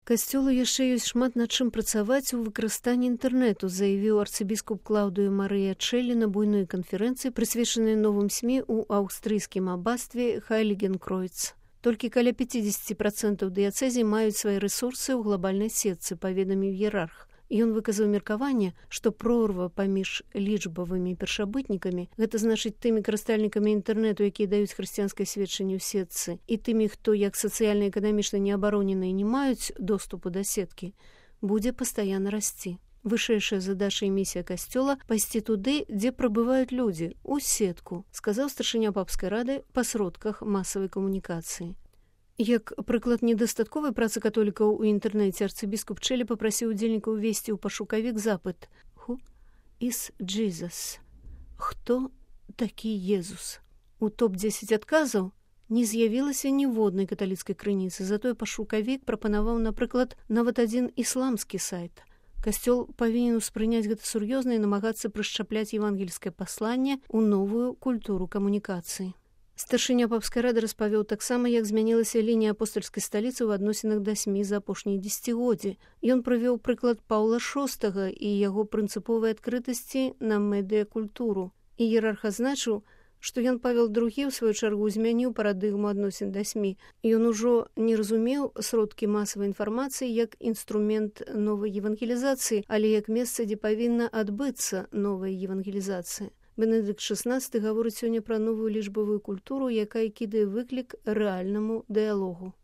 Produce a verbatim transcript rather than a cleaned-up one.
Касцёлу яшчэ ёсць шмат над чым працаваць у выкарыстанні інтэрнэту, заявіў арцыбіскуп Клаўдыё Марыя Чэлі на буйной канферэнцыі, прысвечанай новым СМІ ў аўстрыйскім абастве Хайлігенкройц. Толькі каля пяцьдзесят працэнтаў дыяцэзій маюць свае рэсурсы ў глобальнай сетцы, паведаміў іерарх. Ён выказаў меркаванне, што прорва паміж лічбавымі першабытнікамі, гэта значыць тымі карыстальнікамі інтэрнэту, якія даюць хрысціянскае сведчанне ў сетцы, і тымі, хто як сацыяльна-эканамічна неабароненыя не маюць доступу да сеткі, будзе пастаянна расці. Вышэйшая задача і місія касцёла – пайсці туды, дзе прабываюць людзі, у сетку, сказаў старшыня папскай рады па сродках масавай камунікацыі. Як прыклад недастатковай працы католікаў у інтэрнэце, арцыбіскуп Чэлі папрасіў удзельнікаў увесці ў пашукавік запыт «Who is Jesus?» «Хто такі Езус?» У топ дзесяць адказаў не з'явілася ніводнай каталіцкай крыніцы, затое пашукавік прапанаваў, напрыклад, нават адзін ісламскі сайт. Касцёл павінен успрыняць гэта сур'ёзна і намагацца прышчапляць евангельскае пасланне ў новую культуру камунікацыі. Старшыня папскай рады распавёў таксама, як змянілася лінія апостальскай сталіцы ў адносінах да СМІ за апошнія дзесяцігоддзі. Ён прывёў прыклад Паўла шостага і яго прынцыповай адкрытасці на медыякультуру. Іерарх азначыў, што ён Павел другі, у сваю чаргу, змяніў парадыгму адносін да СМІ. Ён ужо не разумеў сродкі масавай інфармацыі як інструмент новай евангелізацыі, але як месца, дзе павінна адбыцца новая евангелізацыя. Бенедыкт шаснаццаты гаворыць сёння пра новую лічбавую культуру, якая кідае выклік рэальнаму дыялогу.